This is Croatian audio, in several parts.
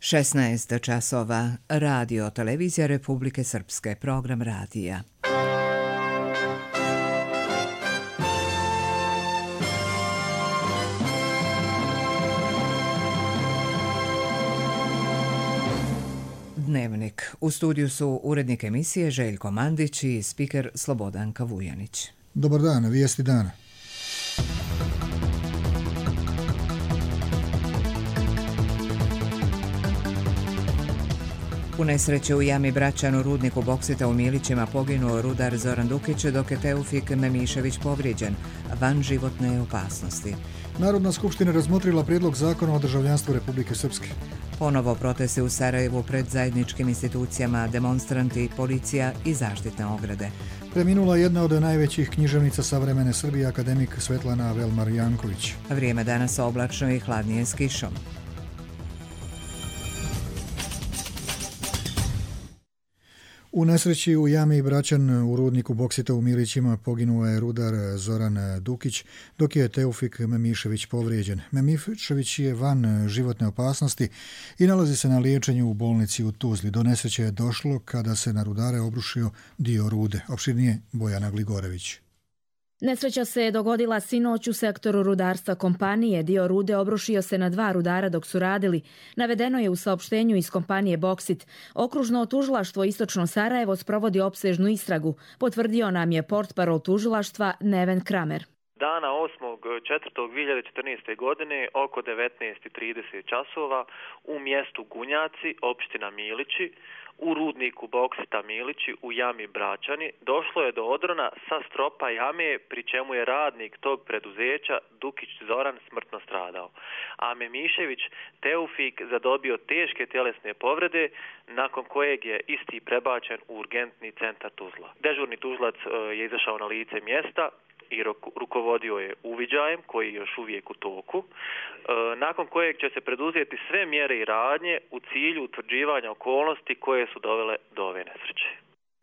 16 časova. Radio Televizija Republike Srpske. Program radija. Dnevnik. U studiju su urednik emisije Željko Mandić i spiker Slobodanka Vujanić. Dobar dan, vijesti dana. U nesreće u jami Bračan u rudniku boksita u Milićima poginuo rudar Zoran Dukić, dok je Teufik Memišević povrijeđen, van životne opasnosti. Narodna skupština razmotrila prijedlog zakona o državljanstvu Republike Srpske. Ponovo protesti u Sarajevu pred zajedničkim institucijama, demonstranti, policija i zaštitne ograde. Preminula jedna od najvećih književnica savremene Srbije, akademik Svetlana Velmar Janković. Vrijeme danas oblačno i hladnije s kišom. U nesreći u jami Bračan u rudniku boksita u Milićima poginuo je rudar Zoran Dukić, dok je Teufik Memišević povrijeđen. Memišević je van životne opasnosti i nalazi se na liječenju u bolnici u Tuzli. Do nesreće je došlo kada se na rudare obrušio dio rude. Opširnije Bojana Gligorević. Nesreća se je dogodila sinoć u sektoru rudarstva kompanije. Dio rude obrušio se na 2 rudara dok su radili. Navedeno je u saopštenju iz kompanije Boksit. Okružno tužilaštvo Istočno Sarajevo sprovodi opsežnu istragu. Potvrdio nam je portparol tužilaštva Neven Kramer. Dana 8.4.2014. godine oko 19:30 časova u mjestu Gunjaci, opština Milići, u rudniku boksita Milići u jami Bračani došlo je do odrona sa stropa jame, pri čemu je radnik tog preduzeća Dukić Zoran smrtno stradao, a Memišević Teufik zadobio teške tjelesne povrede, nakon kojeg je isti prebačen u urgentni centar Tuzla. Dežurni tužilac je izašao na lice mjesta i rukovodio je uviđajem koji je još uvijek u toku, nakon kojeg će se preduzeti sve mjere i radnje u cilju utvrđivanja okolnosti koje su dovele do ove nesreće.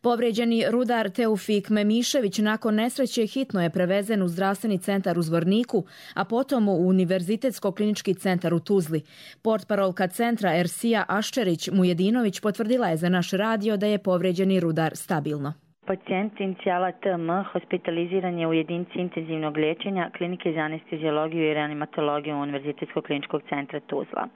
Povrijeđeni rudar Teufik Memišević nakon nesreće hitno je prevezen u zdravstveni centar u Zvorniku, a potom u Univerzitetsko-klinički centar u Tuzli. Portparolka centra Ersija Aščerić Mujedinović potvrdila je za naš radio da je povrijeđeni rudar stabilno. Pacijent inicijala TM hospitaliziran je u jedinici intenzivnog liječenja Klinike za anesteziologiju i reanimatologiju Univerzitetskog kliničkog centra Tuzla.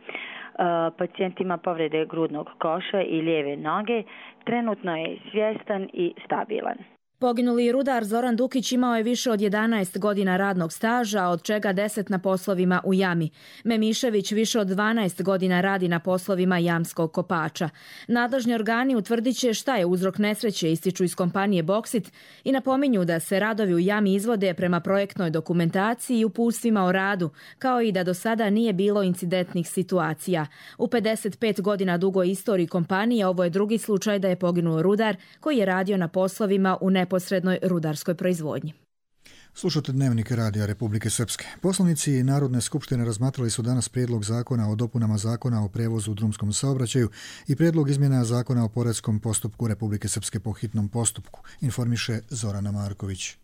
Pacijent ima povrede grudnog koša i lijeve noge, trenutno je svjestan i stabilan. Poginuli rudar Zoran Dukić imao je više od 11 godina radnog staža, od čega 10 na poslovima u jami. Memišević više od 12 godina radi na poslovima jamskog kopača. Nadležni organi utvrdit će šta je uzrok nesreće, ističu iz kompanije Boksit i napominju da se radovi u jami izvode prema projektnoj dokumentaciji i uputstvima o radu, kao i da do sada nije bilo incidentnih situacija. U 55 godina dugoj istoriji kompanije ovo je drugi slučaj da je poginuo rudar koji je radio na poslovima u neposrednoj rudarskoj proizvodnji. Slušate Dnevnik Radija Republike Srpske. Poslanici Narodne skupštine razmatrali su danas prijedlog zakona o dopunama zakona o prevozu u drumskom saobraćaju i prijedlog izmjena zakona o poreskom postupku Republike Srpske po hitnom postupku, informiše Zorana Marković.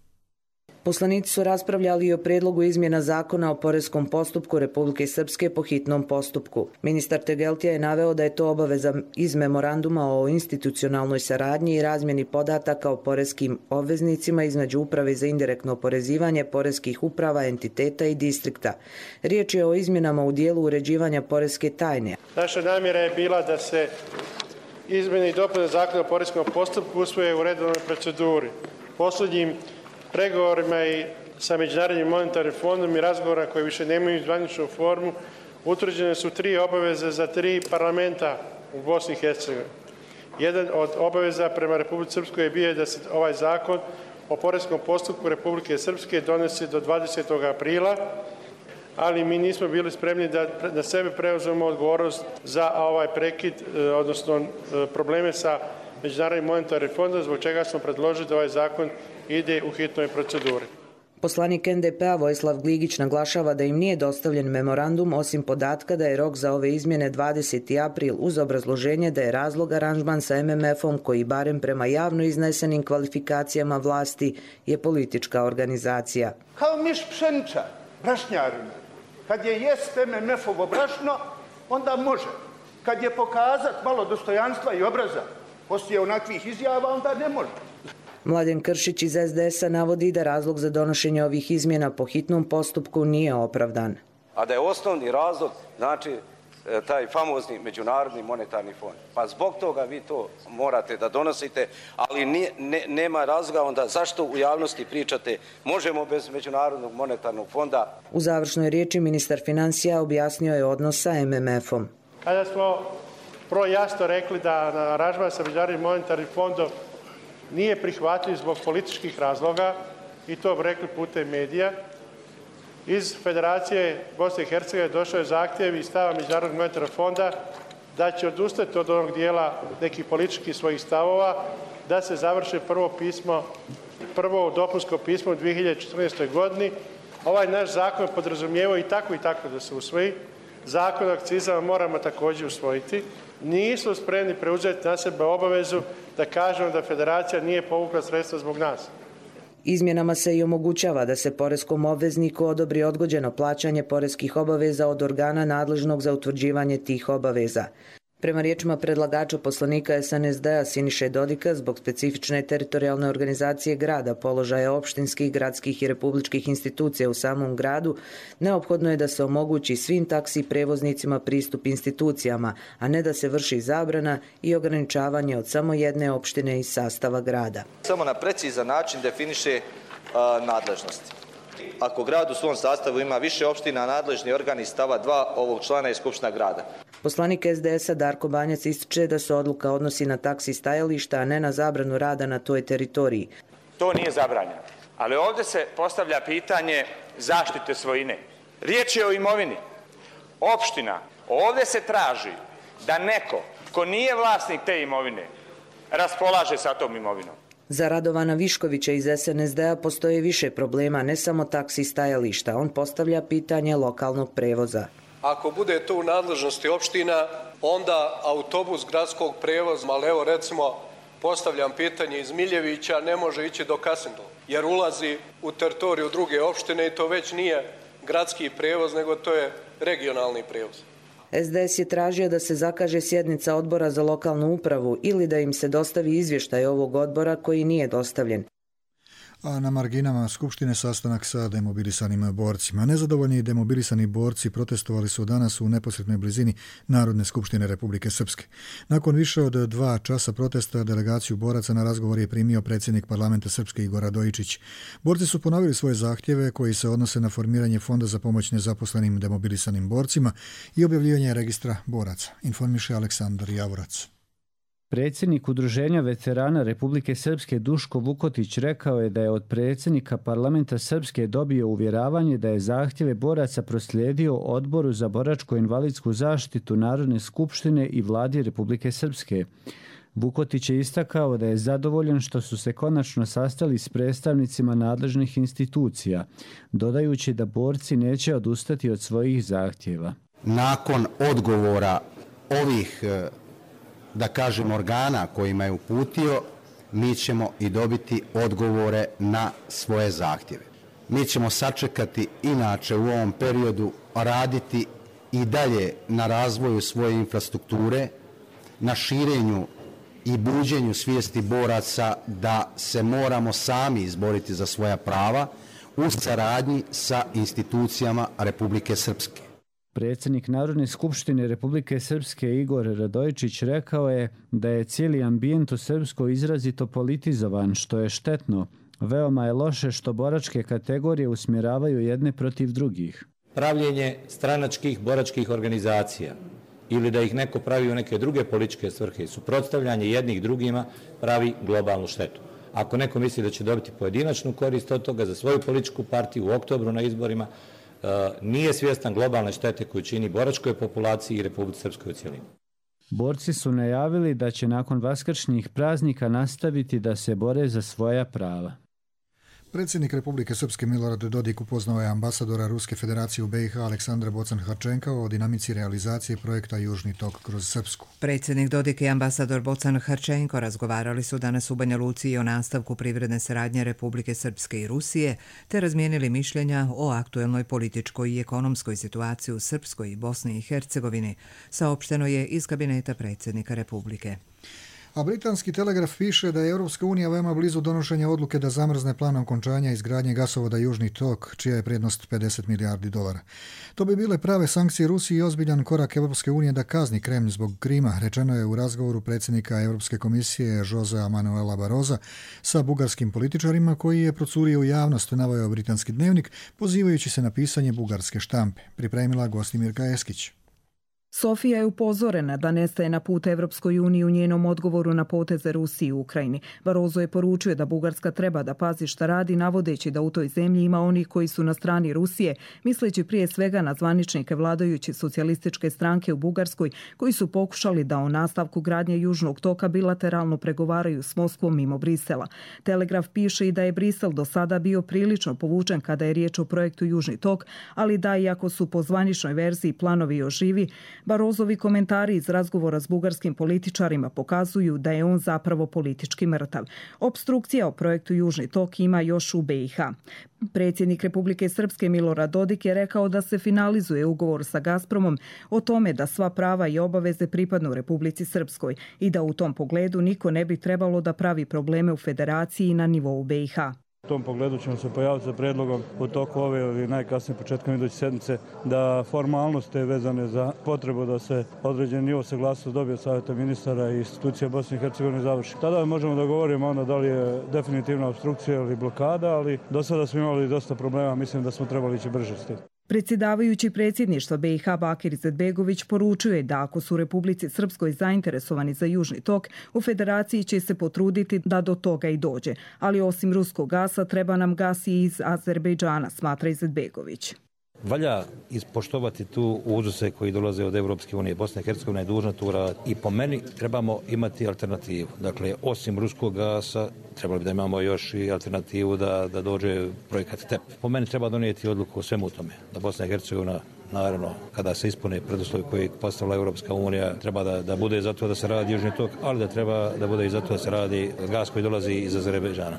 Poslanici su raspravljali o prijedlogu izmjena zakona o poreskom postupku Republike Srpske po hitnom postupku. Ministar Tegeltija je naveo da je to obaveza iz memoranduma o institucionalnoj saradnji i razmjeni podataka o poreskim obveznicima između Uprave za indirektno oporezivanje, poreskih uprava, entiteta i distrikta. Riječ je o izmjenama u dijelu uređivanja poreske tajne. Naša namjera je bila da se izmjene i dopune zakona o poreskom postupku usvoje u redovnoj proceduri. Posljednjim pregovorima i sa Međunarodnim monetarnim fondom i razgovora koji više nemaju zvaničnu formu, utvrđene su 3 obaveze za 3 parlamenta u Bosni i Hercegovini. Jedan od obaveza prema Republike Srpskoj je bio da se ovaj zakon o poreskom postupku Republike Srpske donese do 20. aprila, ali mi nismo bili spremni da na sebe preuzmemo odgovornost za ovaj prekid, odnosno probleme sa Međunarodnim monetarnim fondom, zbog čega smo predložili da ovaj zakon ide u hitnoj proceduri. Poslanik NDP-a Vojislav Gligić naglašava da im nije dostavljen memorandum osim podatka da je rok za ove izmjene 20. april uz obrazloženje da je razlog aranžman sa MMF-om koji barem prema javno iznesenim kvalifikacijama vlasti je politička organizacija. Kao miš pšeniča, brašnjarima. Kad je jest MMF-ovo brašno, onda može. Kad je pokazat malo dostojanstva i obraza poslije onakvih izjava, onda ne može. Mladen Kršić iz SDS-a navodi da razlog za donošenje ovih izmjena po hitnom postupku nije opravdan. A da je osnovni razlog, znači, taj famozni Međunarodni monetarni fond. Pa zbog toga vi to morate da donosite, ali nema razloga onda zašto u javnosti pričate možemo bez Međunarodnog monetarnog fonda. U završnoj riječi ministar financija objasnio je odnos sa MMF-om. Kada smo prvo jasno rekli da aranžman sa Međunarodnim monetarnim fondom nije prihvatljiv zbog političkih razloga, i to bi rekli putem medija, iz Federacije Bosne i Hercegovine došao je zahtjev i stava Međunarodnog monetarnog fonda da će odustati od onog dijela nekih političkih svojih stavova, da se završi prvo dopunsko pismo u 2014. godini. Ovaj naš zakon podrazumijevao i tako da se usvoji. Zakon o akcizama moramo također usvojiti. Nisu spremni preuzeti na sebe obavezu da kažemo da Federacija nije povukla sredstva zbog nas. Izmjenama se i omogućava da se poreskom obvezniku odobri odgođeno plaćanje poreskih obaveza od organa nadležnog za utvrđivanje tih obaveza. Prema riječima predlagača poslanika SNSD-a Siniše Dodika, zbog specifične teritorijalne organizacije grada, položaja opštinskih, gradskih i republičkih institucija u samom gradu, neophodno je da se omogući svim taksi prevoznicima pristup institucijama, a ne da se vrši zabrana i ograničavanje od samo jedne opštine iz sastava grada. Samo na precizan način definiše nadležnosti. Ako grad u svom sastavu ima više opština, nadležni organ iz stava 2 ovog člana je Skupština grada. Poslanik SDS-a Darko Banjac ističe da se odluka odnosi na taksi stajališta, a ne na zabranu rada na toj teritoriji. To nije zabranjeno, ali ovdje se postavlja pitanje zaštite svojine. Riječ je o imovini. Opština, ovdje se traži da neko ko nije vlasnik te imovine raspolaže sa tom imovinom. Za Radovana Viškovića iz SNSD-a postoje više problema, ne samo taksi stajališta. On postavlja pitanje lokalnog prevoza. Ako bude to u nadležnosti opština, onda autobus gradskog prevoza, ali evo recimo postavljam pitanje iz Miljevića, ne može ići do Kasindla, jer ulazi u teritoriju druge opštine i to već nije gradski prevoz, nego to je regionalni prevoz. SDS je tražio da se zakaže sjednica odbora za lokalnu upravu ili da im se dostavi izvještaj ovog odbora koji nije dostavljen. A na marginama Skupštine sastanak sa demobilisanim borcima. Nezadovoljni demobilisani borci protestovali su danas u neposrednoj blizini Narodne skupštine Republike Srpske. Nakon više od 2 časa protesta delegaciju boraca na razgovor je primio predsjednik parlamenta Srpske Igor Radojičić. Borci su ponovili svoje zahtjeve koji se odnose na formiranje fonda za pomoć nezaposlenim demobilisanim borcima i objavljivanje registra boraca, informiše Aleksandar Javorac. Predsjednik Udruženja veterana Republike Srpske Duško Vukotić rekao je da je od predsjednika parlamenta Srpske dobio uvjeravanje da je zahtjeve boraca proslijedio Odboru za boračko-invalidsku zaštitu Narodne skupštine i vladi Republike Srpske. Vukotić je istakao da je zadovoljan što su se konačno sastali s predstavnicima nadležnih institucija, dodajući da borci neće odustati od svojih zahtjeva. Nakon odgovora ovih da kažem organa kojima je uputio, mi ćemo i dobiti odgovore na svoje zahtjeve. Mi ćemo sačekati inače u ovom periodu raditi i dalje na razvoju svoje infrastrukture, na širenju i buđenju svijesti boraca da se moramo sami izboriti za svoja prava u saradnji sa institucijama Republike Srpske. Predsjednik Narodne skupštine Republike Srpske Igor Radojičić rekao je da je cijeli ambijent u Srpskoj izrazito politizovan, što je štetno. Veoma je loše što boračke kategorije usmjeravaju jedne protiv drugih. Pravljenje stranačkih boračkih organizacija ili da ih neko pravi u neke druge političke svrhe, suprotstavljanje jednih drugima pravi globalnu štetu. Ako neko misli da će dobiti pojedinačnu korist od toga za svoju političku partiju u oktobru na izborima, nije svjestan globalne štete koju čini boračkoj populaciji i Republici Srpskoj u cjelini. Borci su najavili da će nakon vaskršnjih praznika nastaviti da se bore za svoja prava. Predsjednik Republike Srpske Milorad Dodik upoznao je ambasadora Ruske federacije u BiH Aleksandra Bocan-Harčenka o dinamici realizacije projekta Južni tok kroz Srpsku. Predsjednik Dodik i ambasador Bocan-Harčenko razgovarali su danas u Banja Luci i o nastavku privredne saradnje Republike Srpske i Rusije, te razmijenili mišljenja o aktuelnoj političkoj i ekonomskoj situaciji u Srpskoj i Bosni i Hercegovini, saopšteno je iz kabineta predsjednika Republike. A britanski Telegraf piše da je Europska unija veoma blizu donošenja odluke da zamrzne plan okončanja izgradnje gasovoda Južni tok, čija je prednost $50 milijardi. To bi bile prave sankcije Rusiji i ozbiljan korak Europske unije da kazni Kremlj zbog Krima, rečeno je u razgovoru predsjednika Europske komisije Josea Manuela Barrosa sa bugarskim političarima, koji je procurio u javnost, naveo britanski dnevnik, pozivajući se na pisanje bugarske štampe. Pripremila Gostimirka Eskić. Sofija je upozorena da nestaje na put Evropskoj uniji u njenom odgovoru na poteze Rusiji u Ukrajini. Barroso je poručio da Bugarska treba da pazi šta radi, navodeći da u toj zemlji ima onih koji su na strani Rusije, misleći prije svega na zvaničnike vladajuće socijalističke stranke u Bugarskoj, koji su pokušali da o nastavku gradnje Južnog toka bilateralno pregovaraju s Moskvom mimo Brisela. Telegraf piše i da je Brisel do sada bio prilično povučen kada je riječ o projektu Južni tok, ali da iako su po zvaničnoj verziji planovi oživi, Barrosovi komentari iz razgovora s bugarskim političarima pokazuju da je on zapravo politički mrtav. Opstrukcija o projektu Južni tok ima još u BiH. Predsjednik Republike Srpske Milorad Dodik je rekao da se finalizuje ugovor sa Gazpromom o tome da sva prava i obaveze pripadnu Republici Srpskoj i da u tom pogledu niko ne bi trebalo da pravi probleme u federaciji i na nivou BiH. U tom pogledu ćemo se pojaviti sa predlogom u toku ove ili najkasnije početkom iduće sedmice da formalnosti vezane za potrebu da se određen nivo saglasnosti dobije od Savjeta ministara i institucija Bosne i Hercegovine završi. Tada možemo da govorimo onda da li je definitivna obstrukcija ili blokada, ali do sada smo imali dosta problema, mislim da smo trebali ići brže s tim. Predsjedavajući predsjedništva BiH Bakir Izetbegović poručuje da ako su u Republici Srpskoj zainteresovani za Južni tok, u federaciji će se potruditi da do toga i dođe. Ali osim ruskog gasa treba nam gas i iz Azerbejdžana, smatra Izetbegović. Valja ispoštovati tu uzuse koji dolaze od Evropske unije. Bosna i Hercegovina je dužna tu raditi. I po meni trebamo imati alternativu. Dakle, osim ruskog gasa, trebali bi da imamo još i alternativu da dođe projekat TEP. Po meni treba donijeti odluku o svemu tome. Da Bosna i Hercegovina, naravno, kada se ispune preduslovi koji je postavila Evropska unija, treba da bude za to da se radi Južni tok, ali da treba da bude i za to da se radi gas koji dolazi iz Azerbejdžana.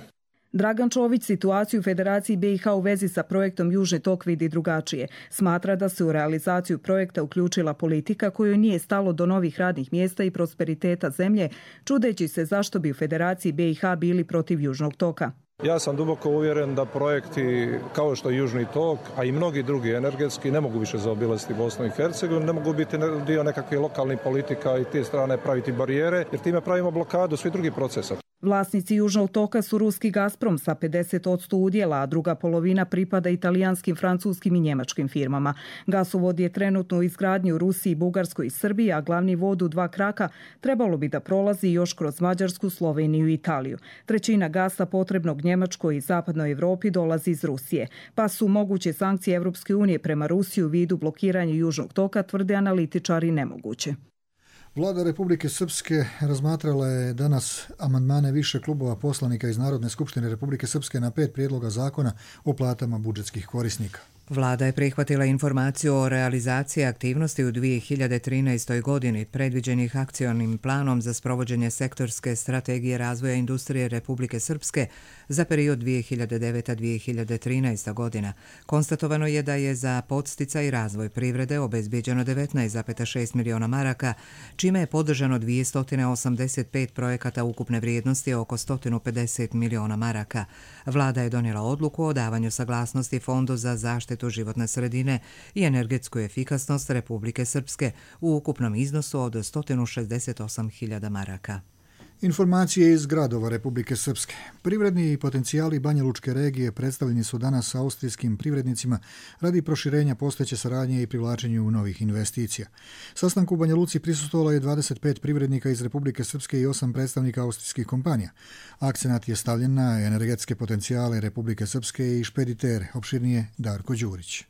Dragan Čović situaciju u Federaciji BiH u vezi sa projektom Južni tok vidi drugačije. Smatra da se u realizaciju projekta uključila politika kojoj nije stalo do novih radnih mjesta i prosperiteta zemlje, čudeći se zašto bi u Federaciji BiH bili protiv Južnog toka. Ja sam duboko uvjeren da projekti kao što je Južni tok, a i mnogi drugi energetski, ne mogu više zaobilaziti Bosnu i Hercegovinu, ne mogu biti dio nekakvih lokalnih politika i te strane praviti barijere, jer time pravimo blokadu svih drugih procesa. Vlasnici Južnog toka su ruski Gazprom sa 50% udjela, a druga polovina pripada italijanskim, francuskim i njemačkim firmama. Gasovod je trenutno u izgradnji u Rusiji, Bugarskoj i Srbiji, a glavni vod u 2 kraka trebalo bi da prolazi još kroz Mađarsku, Sloveniju i Italiju. Trećina gasa potrebnog Njemačkoj i zapadnoj Evropi dolazi iz Rusije, pa su moguće sankcije Evropske unije prema Rusiji u vidu blokiranja Južnog toka, tvrde analitičari, nemoguće. Vlada Republike Srpske razmatrala je danas amandmane više klubova poslanika iz Narodne skupštine Republike Srpske na 5 prijedloga zakona o platama budžetskih korisnika. Vlada je prihvatila informaciju o realizaciji aktivnosti u 2013. godini predviđenih akcionim planom za sprovođenje sektorske strategije razvoja industrije Republike Srpske za period 2009-2013. godina. Konstatovano je da je za podsticaj i razvoj privrede obezbijeđeno 19,6 miliona maraka, čime je podržano 285 projekata ukupne vrijednosti oko 150 miliona maraka. Vlada je donijela odluku o davanju saglasnosti Fondu za zaštitu životne sredine i energetsku efikasnost Republike Srpske u ukupnom iznosu od 168.000 maraka. Informacije iz gradova Republike Srpske. Privredni potencijali Banja Lučke regije predstavljeni su danas austrijskim privrednicima radi proširenja postojeće saradnje i privlačenju novih investicija. Sastanku u Banja Luci prisustvovalo je 25 privrednika iz Republike Srpske i 8 predstavnika austrijskih kompanija. Akcenat je stavljen na energetske potencijale Republike Srpske i špeditere, opširnije Darko Đurić.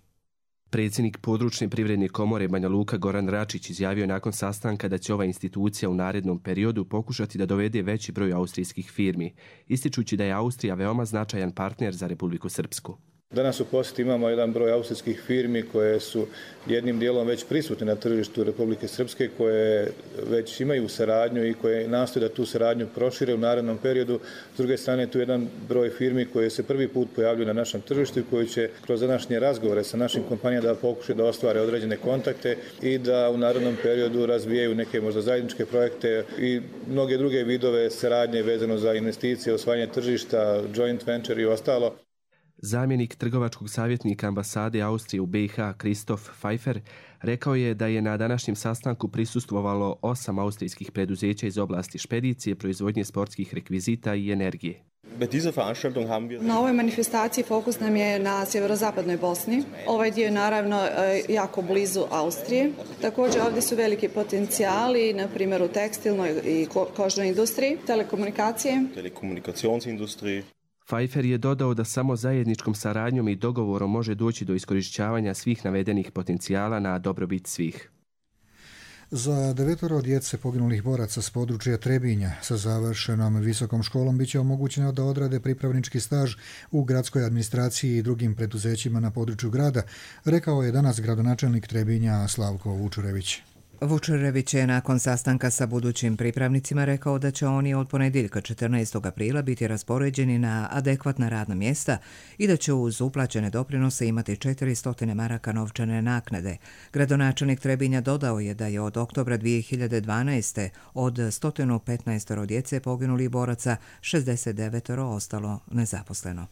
Predsjednik područne privredne komore Banja Luka Goran Račić izjavio nakon sastanka da će ova institucija u narednom periodu pokušati da dovede veći broj austrijskih firmi, ističući da je Austrija veoma značajan partner za Republiku Srpsku. Danas u posjeti imamo jedan broj austrijskih firmi koje su jednim dijelom već prisutne na tržištu Republike Srpske, koje već imaju saradnju i koje nastoje da tu saradnju prošire u narednom periodu. S druge strane, tu je jedan broj firmi koje se prvi put pojavljuju na našem tržištu i koji će kroz današnje razgovore sa našim kompanijama da pokušaju da ostvare određene kontakte i da u narednom periodu razvijaju neke možda zajedničke projekte i mnoge druge vidove saradnje vezano za investicije, osvajanje tržišta, joint venture i ostalo. Zamjenik trgovačkog savjetnika ambasade Austrije u BiH Kristof Pfeiffer rekao je da je na današnjem sastanku prisustvovalo 8 austrijskih preduzeća iz oblasti špedicije, proizvodnje sportskih rekvizita i energije. Na ovoj manifestaciji fokus nam je na sjeverozapadnoj Bosni. Ovaj dio je naravno jako blizu Austrije. Također ovdje su veliki potencijali, na primjer u tekstilnoj i kožnoj industriji, telekomunikacijskoj. Pfeiffer je dodao da samo zajedničkom saradnjom i dogovorom može doći do iskorišćavanja svih navedenih potencijala na dobrobit svih. Za 9 djece poginulih boraca s područja Trebinja sa završenom visokom školom bit će omogućeno da odrade pripravnički staž u gradskoj administraciji i drugim preduzećima na području grada, rekao je danas gradonačelnik Trebinja Slavko Vučurević. Vučurević je nakon sastanka sa budućim pripravnicima rekao da će oni od ponedjeljka 14. aprila biti raspoređeni na adekvatna radna mjesta i da će uz uplaćene doprinose imati 400 maraka novčane naknade. Gradonačelnik Trebinja dodao je da je od oktobra 2012. od 115 djece poginulih boraca 69 ostalo nezaposleno.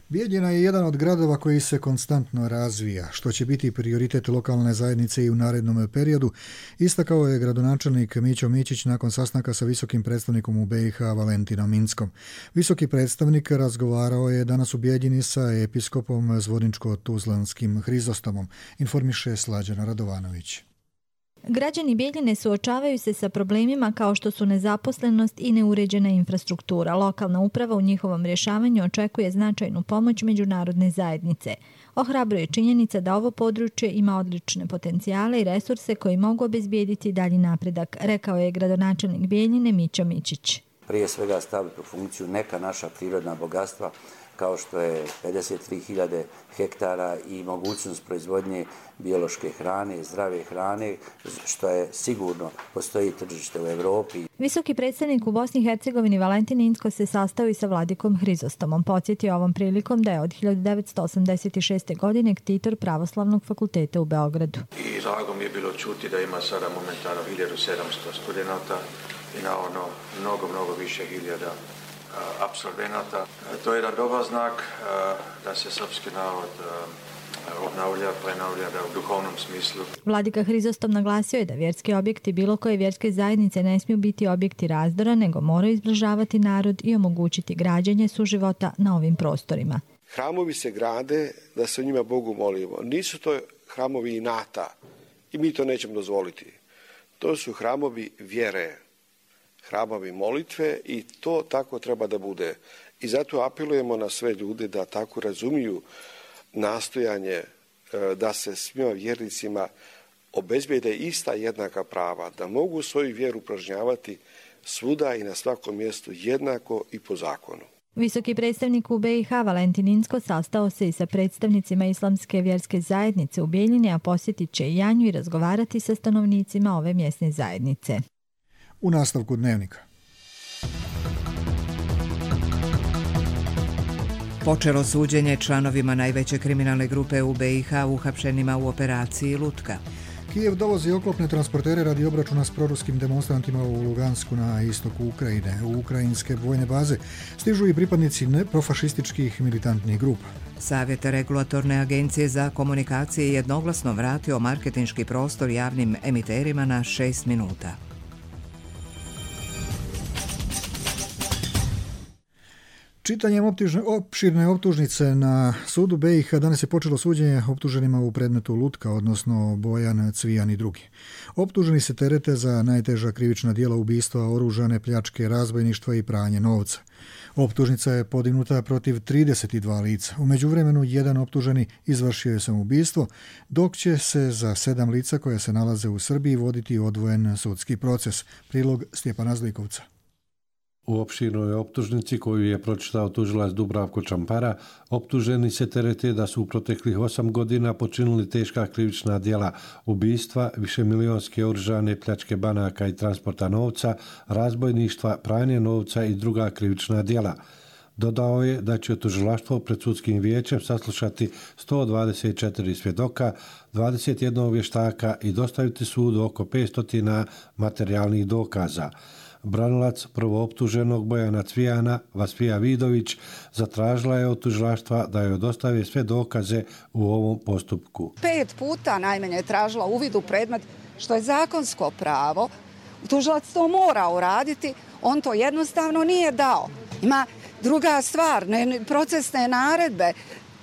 Bijeljina je jedan od gradova koji se konstantno razvija, što će biti prioritet lokalne zajednice i u narednom periodu, istakao je gradonačelnik Mićo Mićić nakon sastanka sa visokim predstavnikom u BiH Valentinom Inckom. Visoki predstavnik razgovarao je danas u Bijeljini sa episkopom Zvorničko-Tuzlanskim Hrizostomom, informiše Slađana Radovanović. Građani Bijeljine suočavaju se sa problemima kao što su nezaposlenost i neuređena infrastruktura. Lokalna uprava u njihovom rješavanju očekuje značajnu pomoć međunarodne zajednice. Ohrabruje činjenica da ovo područje ima odlične potencijale i resurse koji mogu obezbijediti dalji napredak, rekao je gradonačelnik Bijeljine Mićo Mićić. Prije svega staviti u funkciju neka naša prirodna bogatstva, kao što je 53.000 hektara i mogućnost proizvodnje biološke hrane, zdrave hrane, što je sigurno postoji tržište u Europi. Visoki predstavnik u Bosni i Hercegovini Valentin Incko se sastao i sa vladikom Hrizostomom. Podsjetio ovom prilikom da je od 1986. godine ktitor Pravoslavnog fakulteta u Beogradu. I drago mi je bilo čuti da ima sada momentalno 1700 studenata i naravno mnogo više hiljada apsolvenata. To je jedan dobar znak da se srpski narod obnavlja, prenavlja u duhovnom smislu. Vladika Hrizostom naglasio je da vjerski objekti bilo koje vjerske zajednice ne smiju biti objekti razdora, nego moraju izbližavati narod i omogućiti građenje suživota na ovim prostorima. Hramovi se grade da se u njima Bogu molimo. Nisu to hramovi inata i mi to nećemo dozvoliti. To su hramovi vjere, hramovi molitve i to tako treba da bude. I zato apelujemo na sve ljude da tako razumiju nastojanje da se svima vjernicima obezbijede ista jednaka prava, da mogu svoju vjeru upražnjavati svuda i na svakom mjestu jednako i po zakonu. Visoki predstavnik u BiH Valentin Incko sastao se i sa predstavnicima islamske vjerske zajednice u Bijeljini, a posjetit će i Janju i razgovarati sa stanovnicima ove mjesne zajednice. U nastavku dnevnika. Počelo suđenje članovima najveće kriminalne grupe u BiH uhapšenima u operaciji Lutka. Kijev dovozi oklopne transportere radi obračuna s proruskim demonstrantima u Lugansku na istoku Ukrajine. U ukrajinske vojne baze stižu i pripadnici neprofašističkih militantnih grupa. Savjet Regulatorne agencije za komunikacije je jednoglasno vratio marketinški prostor javnim emiterima na 6 minuta. Čitanjem opširne optužnice na sudu BiH danas je počelo suđenje optuženima u predmetu Lutka, odnosno Bojan, Cvijan i drugi. Optuženi se terete za najteža krivična djela ubistva, oružane pljačke, razbojništva i pranje novca. Optužnica je podignuta protiv 32 lica. U međuvremenu jedan optuženi izvršio je samoubistvo, dok će se za 7 lica koja se nalaze u Srbiji voditi odvojen sudski proces. Prilog Stjepana Zlikovca. U opširnoj optužnici koju je pročitao tužilac Dubravko Čampara, optuženi se terete da su u proteklih 8 godina počinili teška krivična djela ubistva, višemilionske oružane pljačke banaka i transporta novca, razbojništva, pranje novca i druga krivična djela. Dodao je da će tužilaštvo pred sudskim vijećem saslušati 124 svjedoka, 21 vještaka i dostaviti sudu oko 500 materijalnih dokaza. Branilac prvooptuženog Bojana Cvijana, Vasfija Vidović, zatražila je od tužilaštva da joj dostave sve dokaze u ovom postupku. 5 puta najmanje je tražila uvid u predmet, što je zakonsko pravo. Tužilac to mora uraditi, on to jednostavno nije dao. Ima druga stvar, procesne naredbe.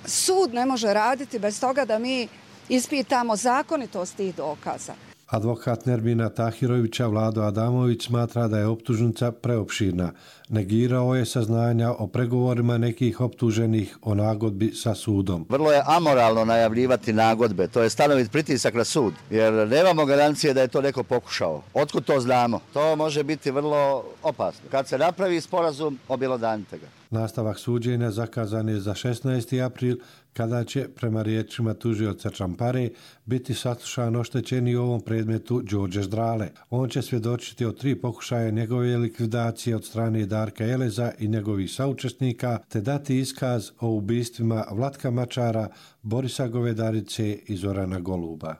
Sud ne može raditi bez toga da mi ispitamo zakonitost tih dokaza. Advokat Nermina Tahirovića Vlado Adamović smatra da je optužnica preopširna. Negirao je saznanja o pregovorima nekih optuženih o nagodbi sa sudom. Vrlo je amoralno najavljivati nagodbe, to je stanovit pritisak na sud, jer nemamo garancije da je to neko pokušao. Otkud to znamo? To može biti vrlo opasno. Kad se napravi sporazum, objelodanite ga. Nastavak suđenja zakazan je za 16. april, kada će, prema riječima tužioca Čampare, biti saslušan oštećeni u ovom predmetu Đorđe Ždrale. On će svjedočiti o 3 pokušaja njegove likvidacije od strane Darka Eleza i njegovih saučesnika, te dati iskaz o ubistvima Vlatka Mačara, Borisa Govedarice i Zorana Goluba.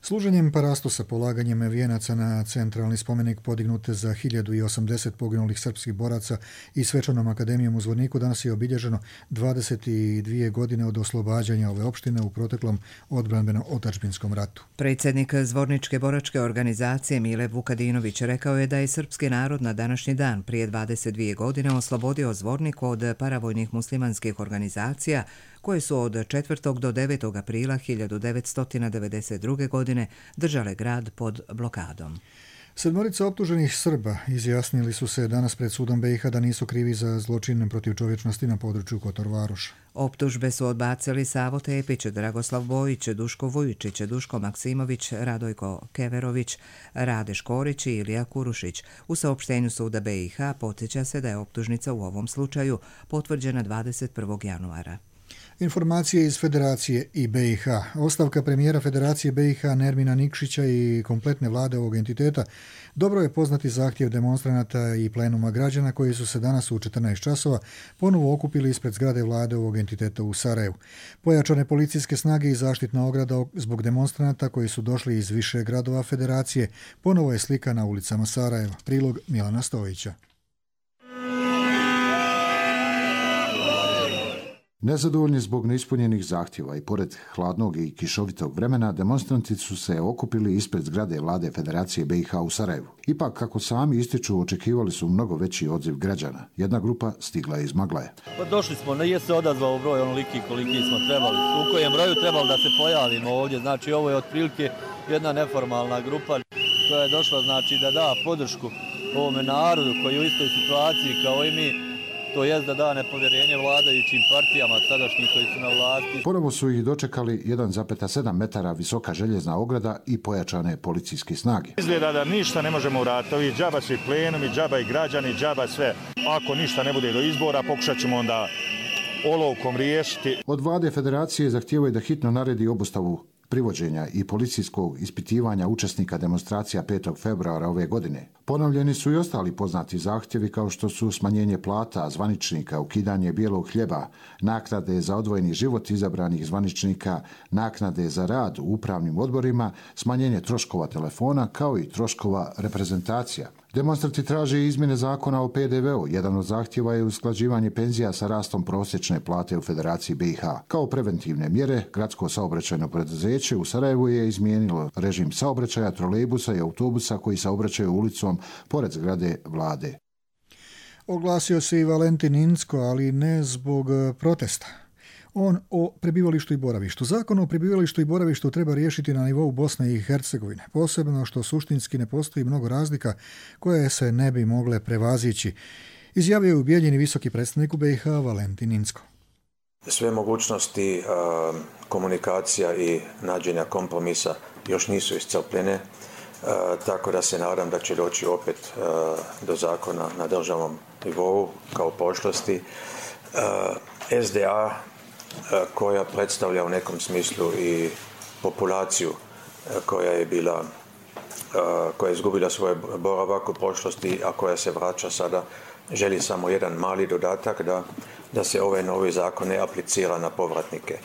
Služenjem parastosa, polaganjem vijenaca na centralni spomenik podignute za 1080 poginulih srpskih boraca i svečanom akademijom u Zvorniku danas je obilježeno 22 godine od oslobađanja ove opštine u proteklom odbranbeno-otadžbinskom ratu. Predsjednik Zvorničke boračke organizacije Mile Vukadinović rekao je da je srpski narod na današnji dan prije 22 godine oslobodio Zvornik od paravojnih muslimanskih organizacija koje su od 4. do 9. aprila 1992. godine držale grad pod blokadom. 7 optuženih Srba izjasnili su se danas pred sudom BiH da nisu krivi za zločin protiv čovječnosti na području Kotor Varoša. Optužbe su odbacili Savo Tepić, Dragoslav Bojić, Duško Vujičić, Duško Maksimović, Radojko Keverović, Rade Škorić i Ilija Kurušić. U saopštenju suda BiH podsjeća se da je optužnica u ovom slučaju potvrđena 21. januara. Informacije iz Federacije i BiH. Ostavka premijera Federacije BiH Nermina Nikšića i kompletne vlade ovog entiteta dobro je poznati zahtjev demonstranata i plenuma građana koji su se danas u 14 časova ponovo okupili ispred zgrade vlade ovog entiteta u Sarajevu. Pojačane policijske snage i zaštitna ograda zbog demonstranata koji su došli iz više gradova Federacije ponovo je slika na ulicama Sarajeva. Prilog Milana Stojića. Nezadovoljni zbog neispunjenih zahtjeva i pored hladnog i kišovitog vremena, demonstranti su se okupili ispred zgrade vlade Federacije BiH u Sarajevu. Ipak, kako sami ističu, očekivali su mnogo veći odziv građana. Jedna grupa stigla je iz Maglaje. Pa došli smo, nije se odazvao broj onoliki koliki smo trebali. U kojem broju trebali da se pojavimo ovdje. Znači, ovo je otprilike jedna neformalna grupa koja je došla, znači, da da podršku ovome narodu koji je u istoj situaciji kao i mi. To je da da nepovjerenje vladajućim partijama sadašnjih koji su na vlasti. Ponovo su ih dočekali 1,7 metara visoka željezna ograda i pojačane policijske snage. Izgleda da ništa ne možemo uraditi. Ovi džaba su i plenumi, džaba i građani, džaba sve. Ako ništa ne bude do izbora, pokušat ćemo onda olovkom riješiti. Od vlade Federacije zahtijevaju da hitno naredi obustavu privođenja i policijskog ispitivanja učesnika demonstracija 5. februara ove godine. Ponovljeni su i ostali poznati zahtjevi kao što su smanjenje plata zvaničnika, ukidanje bijelog hljeba, naknade za odvojeni život izabranih zvaničnika, naknade za rad u upravnim odborima, smanjenje troškova telefona kao i troškova reprezentacija. Demonstranti traže izmjene zakona o PDV-u. Jedan od zahtjeva je usklađivanje penzija sa rastom prosječne plate u Federaciji BiH. Kao preventivne mjere, gradsko saobraćajno preduzeće u Sarajevu je izmijenilo režim saobraćaja trolejbusa i autobusa koji saobraćaju ulicom pored zgrade vlade. Oglasio se i Valentin Incko, ali ne zbog protesta. On o prebivalištu i boravištu. Zakon o prebivalištu i boravištu treba riješiti na nivou Bosne i Hercegovine, posebno što suštinski ne postoji mnogo razlika koje se ne bi mogle prevazići, izjavio je u Bijeljini visoki predstavnik u BiH Valentin Incko. Sve mogućnosti komunikacija i nađenja kompromisa još nisu iscrpljene, tako da se nadam da će doći opet do zakona na državnom nivou kao prošlosti. SDA koja predstavlja u nekom smislu i populaciju koja je izgubila svoj boravak u prošlosti, a koja se vraća sada, želi samo jedan mali dodatak da se ovaj novi zakon ne aplicira na povratnike.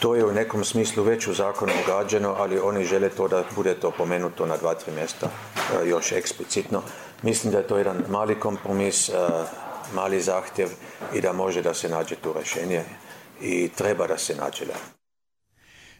To je u nekom smislu već u zakonu ugrađeno, ali oni žele to da bude to pomenuto na 2-3 mjesta još eksplicitno. Mislim da je to jedan mali kompromis, mali zahtjev i da može da se nađe tu rješenje i treba da se nađe.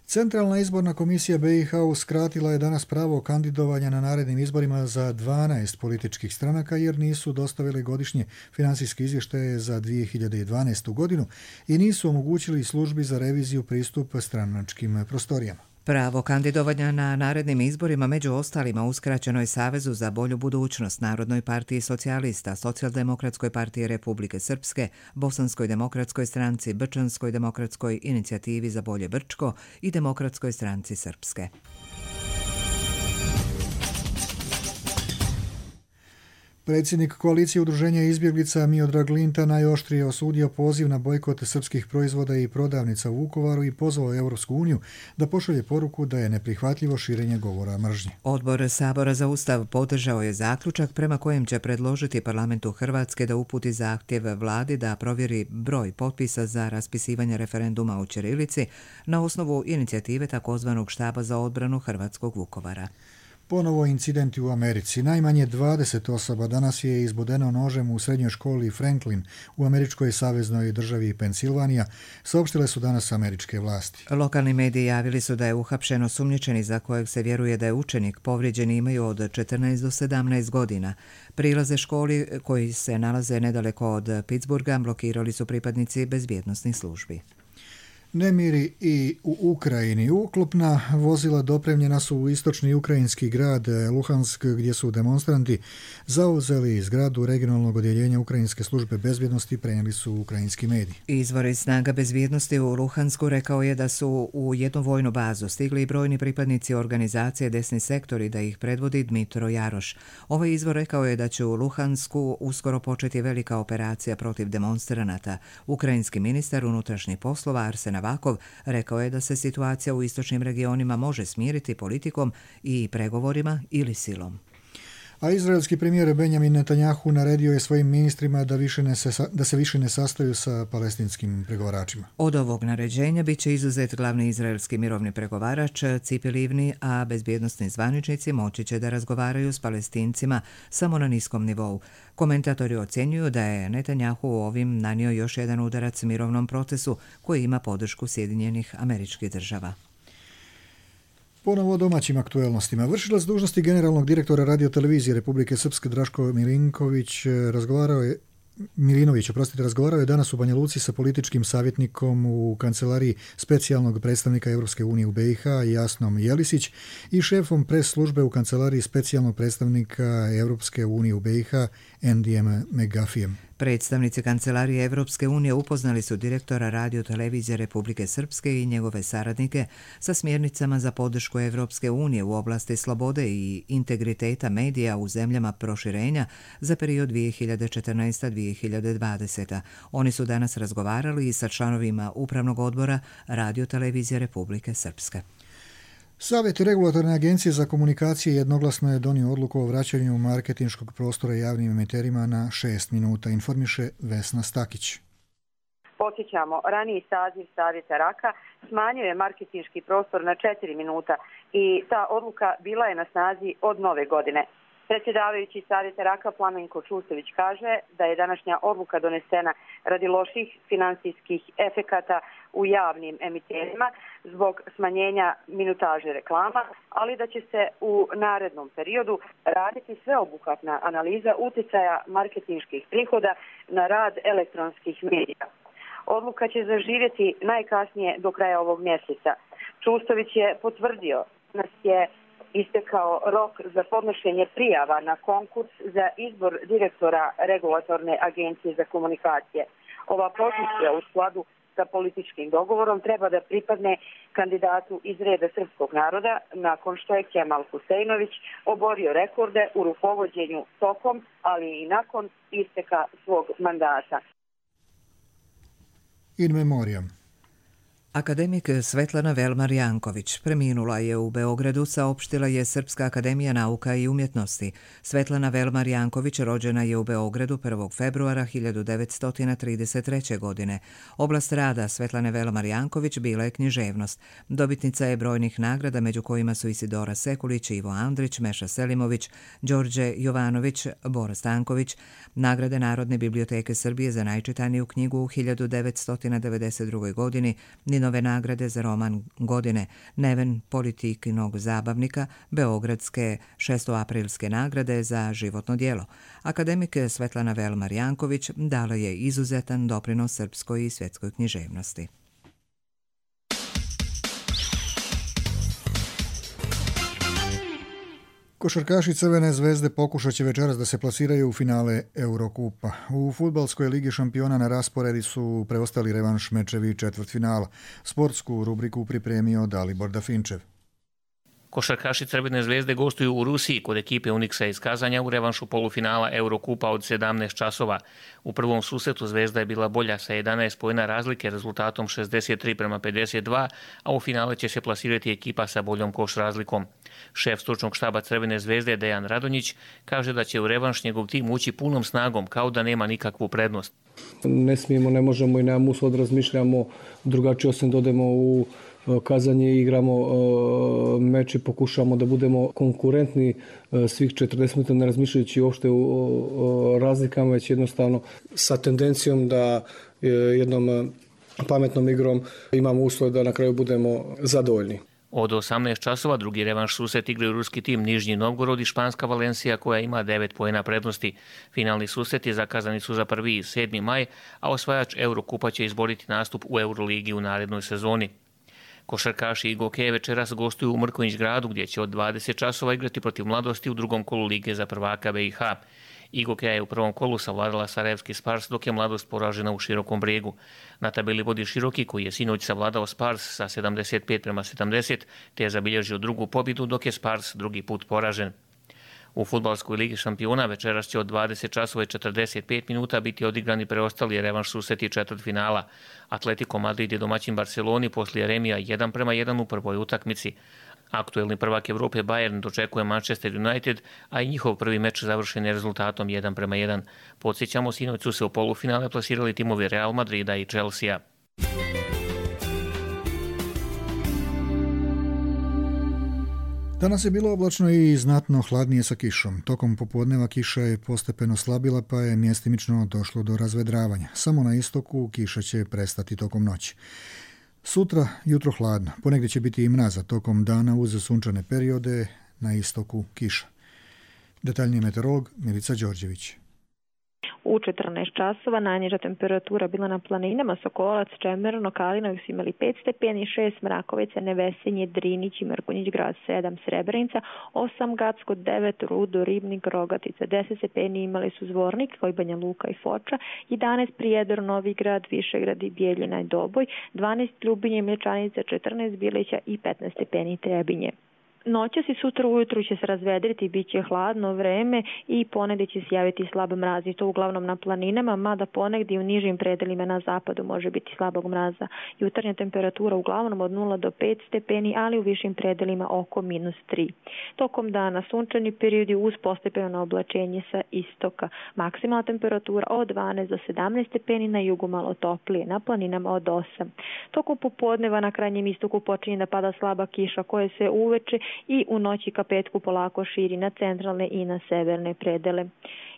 Centralna izborna komisija BiH uskratila je danas pravo kandidovanja na narednim izborima za 12 političkih stranaka jer nisu dostavili godišnje financijske izvještaje za 2012. godinu i nisu omogućili službi za reviziju pristup stranačkim prostorijama. Pravo kandidovanja na narednim izborima među ostalima uskraćeno je Savezu za bolju budućnost, Narodnoj partiji socijalista, Socijaldemokratskoj partiji Republike Srpske, Bosanskoj demokratskoj stranci, Brčanskoj demokratskoj inicijativi za bolje Brčko i Demokratskoj stranci Srpske. Predsjednik koalicije udruženja izbjeglica Miodrag Linta najoštrije osudio poziv na bojkot srpskih proizvoda i prodavnica u Vukovaru i pozvao Europsku uniju da pošalje poruku da je neprihvatljivo širenje govora mržnje. Odbor Sabora za Ustav podržao je zaključak prema kojem će predložiti Parlamentu Hrvatske da uputi zahtjev vladi da provjeri broj potpisa za raspisivanje referenduma o ćirilici na osnovu inicijative takozvanog štaba za odbranu hrvatskog Vukovara. Ponovo incidenti u Americi. Najmanje 20 osoba danas je izbodeno nožem u srednjoj školi Franklin u američkoj saveznoj državi Pensilvanija, saopštile su danas američke vlasti. Lokalni mediji javili su da je uhapšen osumnjičeni za kojeg se vjeruje da je učenik. Povrijeđeni imaju od 14 do 17 godina. Prilaze školi koji se nalaze nedaleko od Pittsburgha blokirali su pripadnici bezbjednosnih službi. Nemiri i u Ukrajini. Uklopna vozila dopremljena su u istočni ukrajinski grad Luhansk, gdje su demonstranti zauzeli zgradu regionalnog odjeljenja Ukrajinske službe bezbjednosti, prenijeli su ukrajinski mediji. Izvor snaga bezbjednosti u Luhansku rekao je da su u jednu vojnu bazu stigli brojni pripadnici organizacije Desni sektor i da ih predvodi Dmitro Jaroš. Ovaj izvor rekao je da će u Luhansku uskoro početi velika operacija protiv demonstranata. Ukrajinski ministar unutrašnjih poslova Arsen Avakov rekao je da se situacija u istočnim regionima može smiriti politikom i pregovorima ili silom. A izraelski premijer Benjamin Netanjahu naredio je svojim ministrima da se više ne sastaju sa palestinskim pregovaračima. Od ovog naređenja bit će izuzet glavni izraelski mirovni pregovarač Cipi Livni, a bezbjednosni zvaničnici moći će da razgovaraju s Palestincima samo na niskom nivou. Komentatori ocjenjuju da je Netanjahu ovim nanio još jedan udarac mirovnom procesu koji ima podršku Sjedinjenih Američkih Država. Ponovo o domaćim aktuelnostima. Vršilac dužnosti generalnog direktora radiotelevizije Republike Srpske Draško razgovarao je danas u Banja Luci sa političkim savjetnikom u kancelariji specijalnog predstavnika Europske unije u BiH Jasnom Jelisić i šefom pres službe u kancelariji specijalnog predstavnika Europske unije u BiH Endijem Megafijem. Predstavnici Kancelarije Evropske unije upoznali su direktora radiotelevizije Republike Srpske i njegove saradnike sa smjernicama za podršku Evropske unije u oblasti slobode i integriteta medija u zemljama proširenja za period 2014-2020. Oni su danas razgovarali i sa članovima Upravnog odbora Radiotelevizije Republike Srpske. Savjet regulatorne agencije za komunikacije jednoglasno je donio odluku o vraćanju marketinškog prostora javnim emiterima na 6 minuta, informiše Vesna Stakić. Podsjećamo, raniji saziv Savjeta RAK-a smanjio je marketinški prostor na 4 minuta i ta odluka bila je na snazi od nove godine. Predsjedavajući Savjeta Raka Plamenko Čustović kaže da je današnja odluka donesena radi loših finansijskih efekata u javnim emiterima zbog smanjenja minutaže reklama, ali da će se u narednom periodu raditi sveobuhvatna analiza utjecaja marketinških prihoda na rad elektronskih medija. Odluka će zaživjeti najkasnije do kraja ovog mjeseca. Čustović je potvrdio da je istekao rok za podnošenje prijava na konkurs za izbor direktora Regulatorne agencije za komunikacije. Ova pozicija u skladu sa političkim dogovorom treba da pripadne kandidatu iz reda srpskog naroda nakon što je Kemal Huseinović oborio rekorde u rukovođenju tokom, ali i nakon isteka svog mandata. In memoriam. Akademik Svetlana Velmar-Janković preminula je u Beogradu, saopštila je Srpska akademija nauka i umjetnosti. Svetlana Velmar-Janković rođena je u Beogradu 1. februara 1933. godine. Oblast rada Svetlane Velmar-Janković bila je književnost. Dobitnica je brojnih nagrada, među kojima su Isidora Sekulić, Ivo Andrić, Meša Selimović, Đorđe Jovanović, Bora Stanković, nagrade Narodne biblioteke Srbije za najčitaniju knjigu u 1992. godini, Ninove nagrade za roman godine, Neven politikinog zabavnika, Beogradske 6. nagrade za životno djelo. Akademik Svetlana Velmar-Janković dala je izuzetan doprinos srpskoj i svjetskoj književnosti. Košarkaši Crvene zvezde pokušat će večeras da se plasiraju u finale Eurokupa. U fudbalskoj ligi šampiona na rasporedi su preostali revanš mečevi četvrtfinala. Sportsku rubriku pripremio Dalibor Dafinčev. Košarkaši Crvene zvezde gostuju u Rusiji kod ekipe Uniksa iz Kazanja u revanšu polufinala Eurokupa od 17 časova. U prvom susretu Zvezda je bila bolja sa 11 poena razlike rezultatom 63:52, a u finale će se plasirati ekipa sa boljom koš razlikom. Šef stručnog štaba Crvene zvezde Dejan Radonjić kaže da će u revanš njegov tim ući punom snagom kao da nema nikakvu prednost. Ne smijemo, ne možemo i nemamo uslov da razmišljamo drugačije osim da odemo u Kazanje i igramo meč i pokušamo da budemo konkurentni svih 40 minuta, ne razmišljajući uopšte o razlikama, već jednostavno sa tendencijom da jednom pametnom igrom imamo uslov da na kraju budemo zadovoljni. Od 18 časova drugi revanš susret igraju ruski tim Nižnji Novgorod i španska Valencija koja ima 9 poena prednosti. Finalni susreti zakazani su za 1. i 7. maj, a osvajač Eurokupa će izboriti nastup u Euroligi u narednoj sezoni. Košarkaši i Gokeje večeras gostuju u Mrkonjić gradu gdje će od 20 časova igrati protiv Mladosti u drugom kolu Lige za prvaka BiH. Igokeja je u prvom kolu savladala Sarajevski Spars, dok je Mladost poražena u Širokom Brijegu. Na tabeli vodi Široki koji je sinoć savladao Spars sa 75:70 te je zabilježio drugu pobjedu, dok je Spars drugi put poražen. U fudbalskoj ligi šampiona večeras će od 20 časova i 45 minuta biti odigrani preostali revanš susreti četvrtfinala. Atletico Madrid je domaćin Barceloni poslije remija 1:1 u prvoj utakmici. Aktuelni prvak Evrope Bayern dočekuje Manchester United, a i njihov prvi meč završen je rezultatom 1:1. Podsjećamo, sinoć su se u polufinale plasirali timovi Real Madrida i Chelsea. Danas je bilo oblačno i znatno hladnije sa kišom. Tokom popodneva kiša je postepeno slabila pa je mjestimično došlo do razvedravanja. Samo na istoku kiša će prestati tokom noći. Sutra jutro hladno, ponegdje će biti i mraza, tokom dana uz sunčane periode, na istoku kiša. Detaljniji meteorolog Milica Đorđević. U 14 časova najniža temperatura bila na planinama Sokolac, Čemerno, Kalinović su imali 5 stepeni, 6 Mrakovica, Nevesinje, Drinić i Mrkonjić grad, 7 Srebrenica, 8 Gacko, 9 Rudo, Ribnik, Rogatica, 10 stepeni imali su Zvornik, Banja Luka i Foča, 11 Prijedor, Novi grad, Višegrad i Bijeljina i Doboj, 12 Ljubinje, Mlječanica, 14 Bilića i 15 stepeni Trebinje. Noćas i sutra ujutru će se razvedriti, bit će hladno vreme i ponegdje će se javiti slab mraz i to uglavnom na planinama, mada ponegdje u nižim predelima na zapadu može biti slabog mraza. Jutarnja temperatura uglavnom od 0 do 5 stepeni, ali u višim predelima oko -3. Tokom dana sunčani periodi uz postepeno oblačenje sa istoka. Maksimalna temperatura od 12 do 17 stepeni, na jugu malo toplije, na planinama od 8. Tokom popodneva na krajnjem istoku počinje da pada slaba kiša koja se uveče i u noći ka petku polako širi na centralne i na severne predele.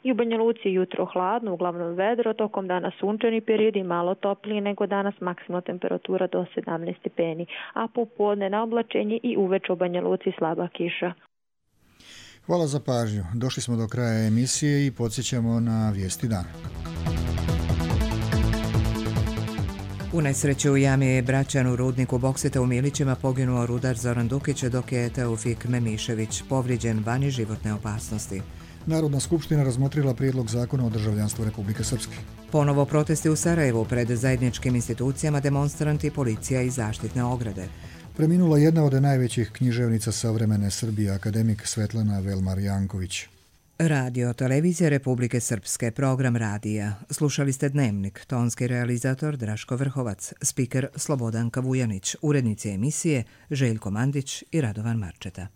I u Banja Luci jutro hladno, uglavnom vedro, tokom dana sunčani period i malo toplije nego danas, maksimalna temperatura do 17 stepeni, a popodne na oblačenje i uveče u Banja Luci slaba kiša. Hvala za pažnju. Došli smo do kraja emisije i podsjećamo na vijesti dana. U nesreći u jami Bračan u rudniku boksita u Milićima poginuo rudar Zoran Dukić, dok je Teofik Memišević povrijeđen vani životne opasnosti. Narodna skupština razmotrila prijedlog zakona o državljanstvu Republike Srpske. Ponovo protesti u Sarajevu pred zajedničkim institucijama, demonstranti, policija i zaštitne ograde. Preminula jedna od najvećih književnica savremene Srbije, akademik Svetlana Velmar-Janković. Radio Televizija Republike Srpske, program radija. Slušali ste Dnevnik, tonski realizator Draško Vrhovac, spiker Slobodan Kavujanić, urednici emisije Željko Mandić i Radovan Marčeta.